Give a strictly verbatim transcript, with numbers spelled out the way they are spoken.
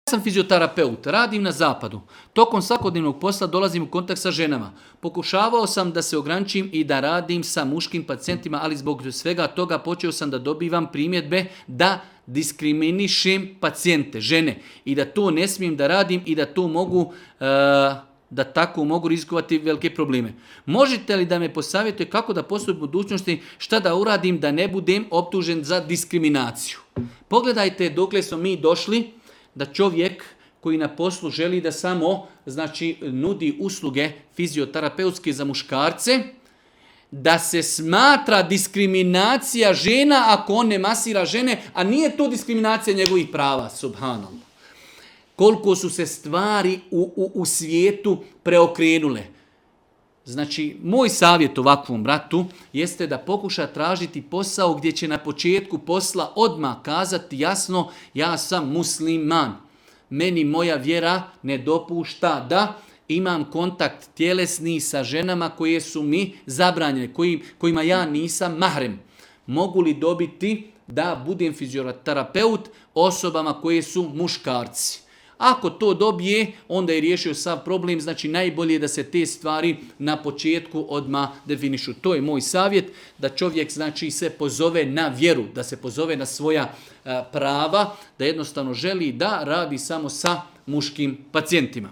sam fizioterapeut, radim na zapadu. Tokom svakodnevnog posla dolazim u kontakt sa ženama. Pokušavao sam da se ograničim i da radim sa muškim pacijentima, ali zbog svega toga počeo sam da dobivam primjedbe da diskriminišem pacijente, žene. I da to ne smijem da radim i da to mogu, uh, da tako mogu rizikovati velike probleme. Možete li da me posavjetujete kako da postupim u budućnosti, šta da uradim da ne budem optužen za diskriminaciju? Pogledajte dokle smo mi došli, da čovjek koji na poslu želi da samo znači, nudi usluge fizioterapeutske za muškarce, da se smatra diskriminacija žena ako on ne masira žene, a nije to diskriminacija njegovih prava, subhanallah. Koliko su se stvari u, u, u svijetu preokrenule. Znači, moj savjet ovakvom bratu jeste da pokuša tražiti posao gdje će na početku posla odmah kazati jasno, ja sam musliman. Meni moja vjera ne dopušta da imam kontakt tjelesni sa ženama koje su mi zabranjene, koji, kojima ja nisam mahrem. Mogu li dobiti da budem fizioterapeut osobama koje su muškarci? Ako to dobije, onda je riješio sav problem, znači najbolje je da se te stvari na početku odmah definišu. To je moj savjet, da čovjek znači se pozove na vjeru, da se pozove na svoja a, prava, da jednostavno želi da radi samo sa muškim pacijentima.